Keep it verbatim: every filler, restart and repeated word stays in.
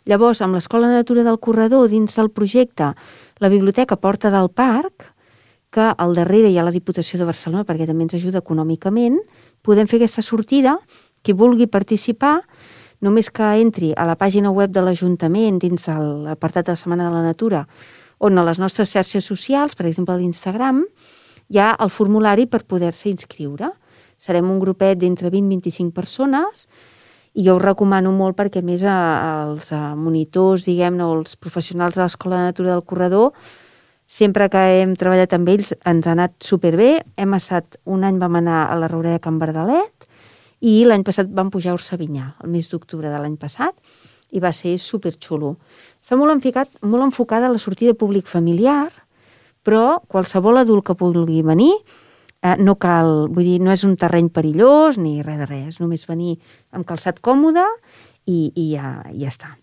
Llavors, amb l'Escola de Natura del Corredor, dins del projecte, la Biblioteca Porta del Parc, que al darrere hi ha la Diputació de Barcelona, perquè també ens ajuda econòmicament, podem fer aquesta sortida. Qui vulgui participar, només que entri a la pàgina web de l'Ajuntament, dins de l'apartat de la Setmana de la Natura, on a les nostres xarxes socials, per exemple a l'Instagram, hi ha el formulari per poder-se inscriure. Serem un grupet d'entre vint i vint-i-cinc persones, i jo us recomano molt perquè, a més, els monitors, diguem-ne, o els professionals de l'Escola de Natura del Corredor, sempre que hem treballat amb ells ens ha anat superbé. Hem estat, un any vam anar a la Roureda de Can Verdalet i l'any passat vam pujar a Orsavinyà, el mes d'octubre de l'any passat, i va ser superxulo. Està molt enfocat, molt enfocada a la sortida públic familiar, però qualsevol adult que vulgui venir, eh, no cal, vull dir, no és un terreny perillós ni res de res, només venir amb calçat còmode i, i ja, ja està.